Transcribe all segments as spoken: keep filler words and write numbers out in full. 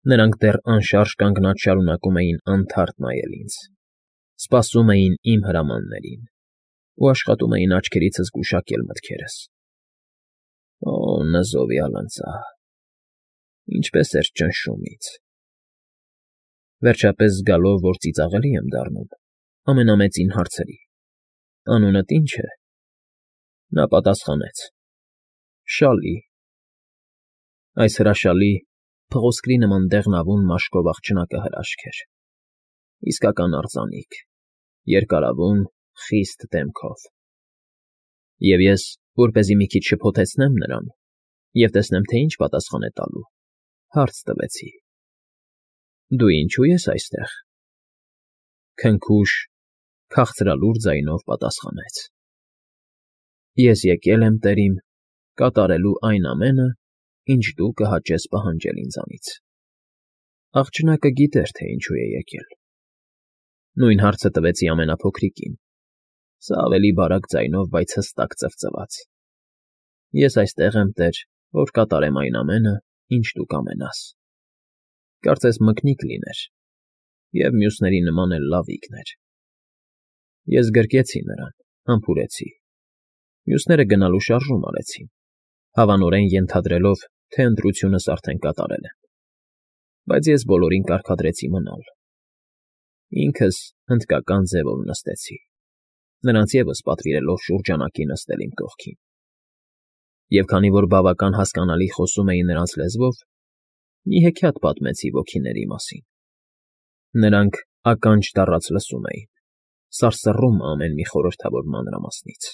Նրանք դեռ անշարժ կանգնած շարունակում էին անթարթ նայել ինձ, սպասում էին իմ հրամաններին ու աշխատում էին աչքերիցս գուշակել մտքերս։ Օ՜, նզովյալ ընծա… ինչպես էր ճնշում ինձ… Վերջապես զգալով, որ ծիծաղելի եմ դառնում, ամենամեծին հարցրի. «Անունդ ի՞նչ է»։ Նա պատասխանեց. «Շալի»։ Այս հրաշալի, փղոսկրի նման դեղնավուն մաշկով աղջնակը հրաշք էր, իսկական արձանիկ, երկարավուն, խիստ դեմքով։ Եվ ես, որպեսզի մի քիչ շփոթեցնեմ նրան և տեսնեմ, թե ինչ պատասխան է տալու, հարց տվեցի. «Դու ինչո՞ւ ես այստեղ»։ Քնքուշ, քաղցրալուր ձայնով պատասխանեց. «Ես եկել եմ, տերիմ, կատարելու այն ամենը, ինչ դու կհաճես պահանջել ինձանից»։ Աղջնակը գիտեր, թե ինչու է եկել։ Նույն հարցը տվեցի ամենափոքրիկին, սա ավելի բարակ ձայնով, բայց հստակ ծվծվաց. «Ես այստեղ եմ, տեր, որ կատարեմ այն ամենը, ինչ դու կամենաս»։ Կարծես մկնիկ լիներ և մյուսների նման էլ լավիկն էր։ Ես գրկեցի նրան, համբուրեցի։ Մյուսները գնալու շարժում արեցին, հավանորեն ենթադրելով, թե ընտրությունս արդեն կատարել եմ, բայց ես բոլորին կարգադրեցի մնալ։ Ինքս հնդկական ձևով նստեցի, նրանց ևս պատվիրելով շուրջանակի նստել իմ կողքին։ Եվ քանի որ բավական հասկանալի խոսում էի նրանց լեզվով, մի հեքիաթ պատմեցի ոգիների մասին։ Նրանք ականջ դառած լսում էին, սարսռում ամեն մի խորհրդավոր մանրամասնից,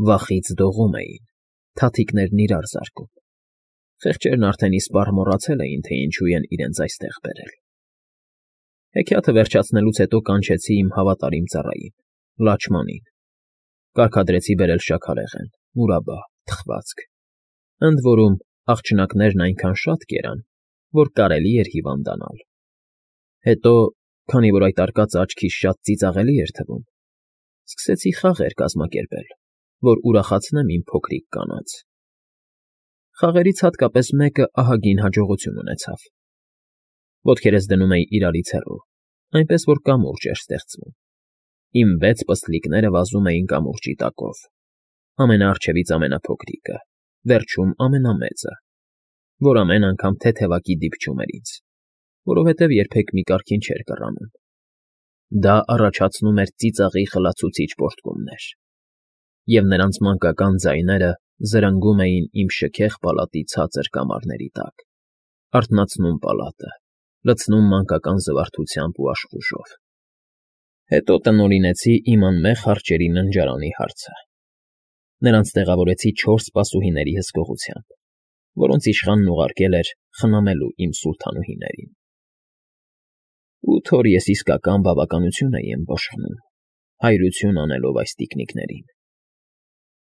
վախից դողում էին, թաթիկներն իրար զարկում։ Խեղճերն արդեն իսպառ մոռացել էին, թե ինչու են իրենց այստեղ բերել։ Հեքիաթը վերջացնելուց հետո կանչեցի իմ հավատարիմ ծառային՝ Լաչմանին, կարգադրեցի բերել շաքարեղեն, մուրաբա, թխվածք, ընդ որում աղջնակներն այնքան շատ կերան, որ կարելի էր հիվանդանալ։ Հետո, քանի որ այդ արկածը աչքիս շատ ծիծաղելի էր թվում, սկսեցի խաղեր կազմակերպել, որ ուրախացնեմ իմ փոքրիկ կանանց։ Խաղերից հատկապես մեկը ահագին հաջողություն ունեցավ։ Ոտքերս դնում էի իրարից հեռու, այնպես որ կամուրջ էր ստեղծվում։ Իմ վեց պստլիկները վազում էին կամուրջի տակով, ամենաառջևից ամենափոքրիկը, վերջում ամենամեծը, որ ամեն անգամ թեթևակի դիպչում էր ինձ, որովհետև երբեք մի կարգին չէր կռանում։ Դա առաջացնում էր ծիծաղի խլացուցիչ պոռթկումներ, և նրանց մանկական ձայները զրնգում էին իմ շքեղ պալատի ցածր կամարների տակ, արթնացնում պալատը, լցնում մանկական զվարթությամբ ու աշխուժով։ Հետո տնօրինեցի իմ անմեղ արջերի ննջարանի հարցը։ Նրանց տեղավորեցի չորս սպասուհիների հսկողությամբ, որոնց իշխանն ուղարկել էր խնամելու իմ սուլթանուհիներին։ Ու թող ես իսկական բավականություն էի ըմբոշխնում, հայրություն անելով այս տիկնիկներին։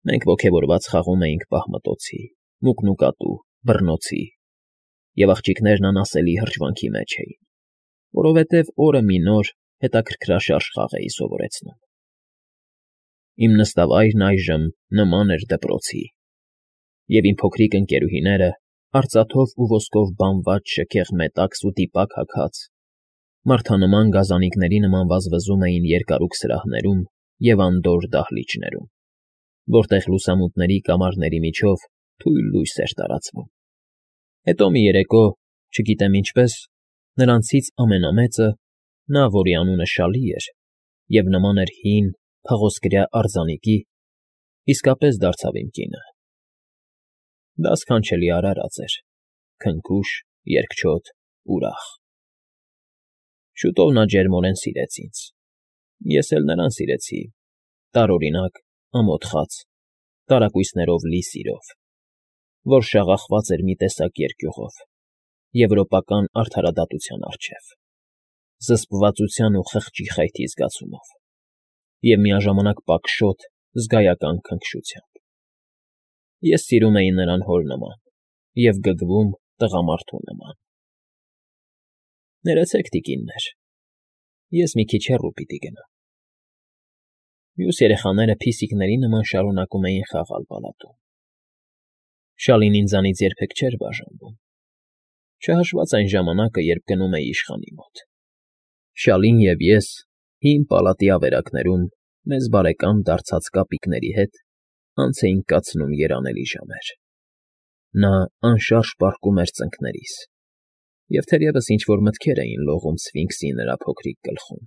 Մենք ոգևորված խաղում էինք պահմտոցի, մուկնուկատու, բռնոցի, և աղջիկներն անասելի հրճվանքի մեջ էին, որովհետև օրը մի նոր, հետաքրքրաշարժ խաղ էի սովորեցնում։ Իմ նստավայրն այժմ նման էր դպրոցի, և իմ փոքրիկ ընկերուհիները, արծաթով ու ոսկով բանված շքեղ մետաքս ու տիպակ հագած, մարդանման գազանիկների նման վազվզում էին երկարուկ սրահներում և անդորր դահլիճներում, որտեղ լուսամուտների կամարների միջով թույլ լույս էր տարածվում։ Հետո մի երեկո, չգիտեմ ինչպես, նրանցից ամենամեծը, նա, որի անունը Շալի էր և նման էր հին, փղոսկրյա արձանիկի, իսկապես դարձավ իմ կինը։ Դա սքանչելի արարած էր, քնքուշ, երկչոտ, ուրախ։ Շուտով նա ջերմորեն սիրեց ինձ, ես էլ նրան սիրեցի, տարօրինակ, ամոթխած, տարակույսներով լի սիրով, որ շաղախված էր մի տեսակ երկյուղով, եվրոպական արդարադատության առջև, զսպվածության ու խղճի խայթի զգացումով և միաժամանակ պակշոտ, զգայական քնքշությամբ։ Ես սիրում էի նրան հոր նման և գգվում տղամարդու նման։ Ներեցեք, տիկիններ, ես մի քիչ հեռու պիտի գնամ։ Մյուս երեխաները փիսիկների նման շարունակում էին խաղալ պալատում։ Շալին ինձանից երբեք չէր բաժանվում։ չհաշված այն ժամանակը, երբ գնում էի իշխանի մոտ։ Շալին և ես հին պալատի ավերակներում մեզ բարեկամ դարձած կապիկների հետ անց էինք կացնում երանելի ժամեր։ Նա անշարժ պառկում էր ծնկներիս, և թերևս ինչ֊որ մտքեր էին լողում սֆինքսի նրա փոքրիկ գլխում,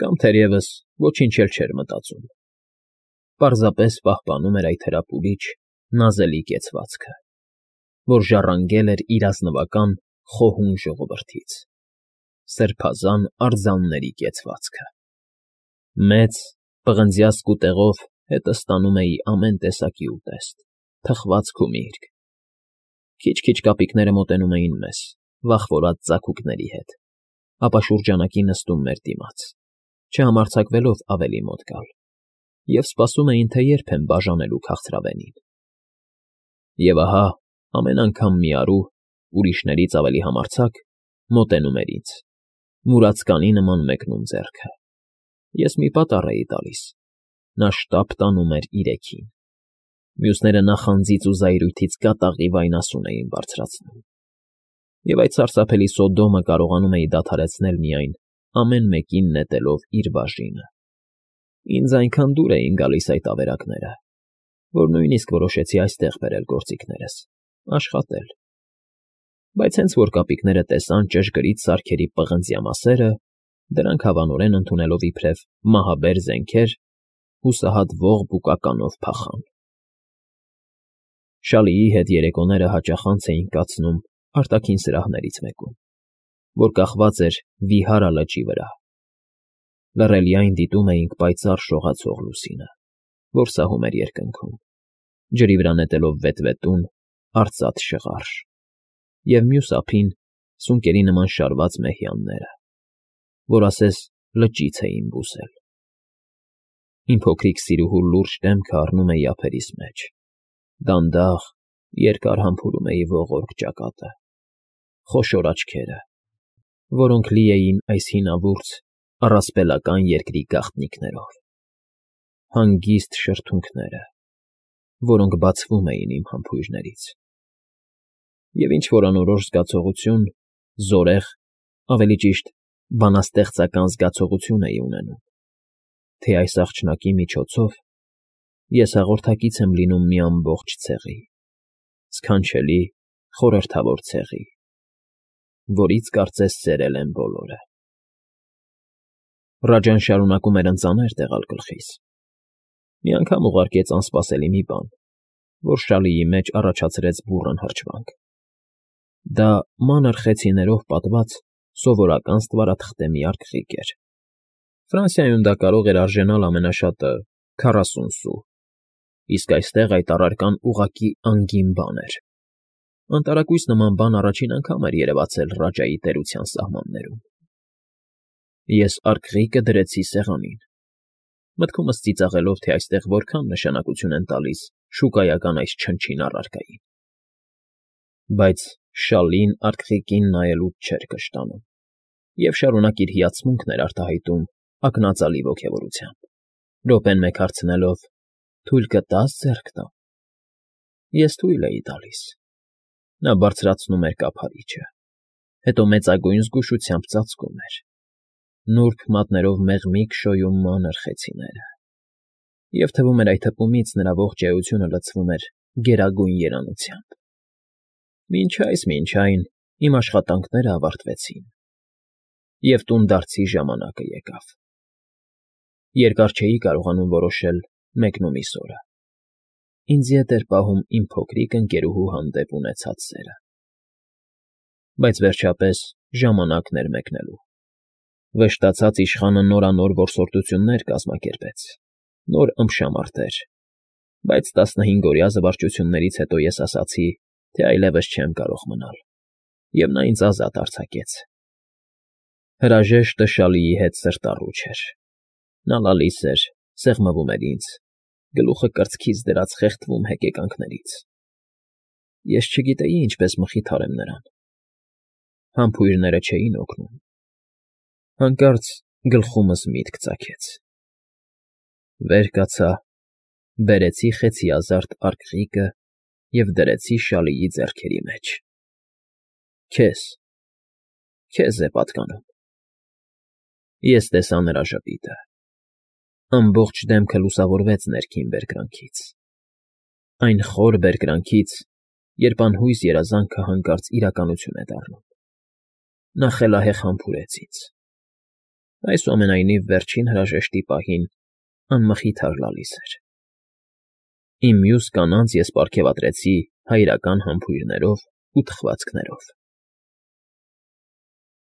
կամ թերևս ոչինչ էլ չէր մտածում, պարզապես պահպանում էր այդ հրապուրիչ, նազելի կեցվածքը, որ ժառանգել էր իր ազնվական խոհուն ժողովրդից, սրբազան արձանների կեցվածքը։ Մեծ, պղնձյա սկուտեղով հետը ստանում էի ամեն տեսակի ուտեստ, թխվածք ու միրգ։ Քիչ֊քիչ կապիկները մոտենում էին մեզ, վախվորած ձագուկների հետ, ապա շուրջանակի նստում մեր դիմաց, չհամարձակվելով ավելի մոտ գալ, և սպասում էին, թե երբ եմ բաժանելու քաղցրավենին։ Եվ ահա ամեն անգամ մի առու, ուրիշներից ավելի համարձակ, մոտենում էր ինձ, մուրացկանի նման մեկնում ձեռքը։ Ես մի պատառ էի տալիս, նա շտապ տանում էր իրեքին։ Մյուսները նախանձից ու զայրույթից կատաղի վայնասուն էին բարձրացնում, և այդ սարսափելի Սոդոմը կարողանում էի դադարեցնել միայն ամեն մեկին նետելով իր բաժինը։ Ինձ այնքան դուր էին գալիս այդ ավերակները, որ նույնիսկ որոշեցի այստեղ բերել գործիքներս, աշխատել։ Բայց հենց որ կապիկները տեսան ճշգրիտ սարքերի պղնձյա մասերը, դրանք հավանորեն ընդունելով իբրև մահաբեր զենքեր, հուսահատ ողբ ու կականով փախան։ Շալիի հետ երեկոները հաճախ անց էինք կացնում արտաքին սրահներից մեկում, որ կախված էր Վիհարա լճի վրա։ Լռելիայն դիտում էինք պայծառ շողացող լուսինը, որ սահում էր երկնքում, ջրի վրա նետելով վետվետուն, արծաթ շղարշ, և մյուս ափին սունկերի նման շարված մեհյանները, որ ասես լճից էին բուսել։ Իմ փոքրիկ սիրուհու լուրջ դեմքը առնում էի ափերիս մեջ, դանդաղ, երկար համբուրում էի ողորկ ճակատը, խոշոր աչքերը, որոնք լի էին այս հինավուրց, առասպելական երկրի գաղտնիքներով, հանգիստ շրթունքները, որոնք բացվում էին իմ համբույրներից, և ինչ֊որ անորոշ զգացողություն, զորեղ, ավելի ճիշտ, բանաստեղծական զգացողություն էի ունենում, թե այս աղջնակի միջոցով ես հաղորդակից եմ լինում մի ամբողջ ցեղի, սքանչելի, խորհրդավոր ցեղի, որից կարծես սերել են բոլորը։ Ռաջան շարունակում էր ընծաներ տեղալ գլխիս։ Մի անգամ ուղարկեց անսպասելի մի բան, որ Շալիի մեջ առաջացրեց բուռն հրճվանք։ Դա մանր խեցիներով պատված սովորական ստվարաթղթե մի արկղիկ էր։ Ֆրանսիայում դա կարող էր արժենալ ամենաշատը քառասուն սու, իսկ այստեղ այդ առարկան ուղղակի անգին բան էր։ Անտարակույս նման բան առաջին անգամ էր երևացել Ռաջայի տերության սահմաններում։ Ես արկղիկը դրեցի սեղանին, մտքումս ծիծաղելով, թե այստեղ որքան նշանակություն են տալիս շուկայական այս չնչին առարկային։ Բայց Շալին արկղիկին նայելուց չէր կշտանում և շարունակ իր հիացմունքն էր արտահայտում ակնածալի ոգևորությամբ, րոպեն մեկ հարցնելով. «Թույլ կտա՞ս ձեռք տամ»։ Ես թույլ էի տալիս։ Նա բարձրացնում էր կափարիչը, հետո մեծագույն զգուշությամբ ծածկում էր, նուրբ մատներով մեղմիկ շոյում մանր խեցիները, և թվում էր այդ հպումից նրա ողջ էությունը լցվում էր գերագույն երանությամբ։ Մինչ այս, մինչ այն, իմ աշխատանքները ավարտվեցին, և տունդարձի ժամանակը եկավ։ Երկար չէի կարողանում որոշել մեկնումիս օրը։ Ինձ ետ էր պահում իմ փոքրիկ ընկերուհու հանդեպ ունեցած սերը։ Բայց վերջապես ժամանակն էր մեկնելու։ Վշտացած իշխանը նորանոր որսորդություններ կազմակերպեց, նոր ըմբշամարտեր, բայց տասնհինգօրյա զվարճություններից հետո ես ասացի, թե այլևս չեմ կարող մնալ, և նա ինձ ազատ արձակեց։ Հրաժեշտը Շալիի հետ սրտառու չէր։ Նա լալիս էր, սեղմվում էր ինձ, գլուխը կրծքից դրած խեղդվում հեկեկանքներից։ Ես չգիտեի ինչպես մխիթարեմ նրան։ Համբույրները չէին օգնում։ Հանկարծ գլխումս միտք ծագեց։ Վեր կացա, բերեցի խեցիազարդ արկղիկը և դրեցի Շալիի ձեռքերի մեջ։ Քեզ, քեզ է պատկանում։ Ես տեսա նրա ժպիտը, ամբողջ դեմքը լուսավորվեց ներքին բերկրանքից, այն խոր բերկրանքից, երբ անհույս երազանքը հանկարծ իրականություն է դառնում։ Նա խելահեղ համբուրեց ինձ, այսուամենայնիվ վերջին հրաժեշտի պահին անմխիթար լալիս էր։ Իմ մյուս կանանց ես պարգևատրեցի հայրական համբույրներով ու թխվածքներով։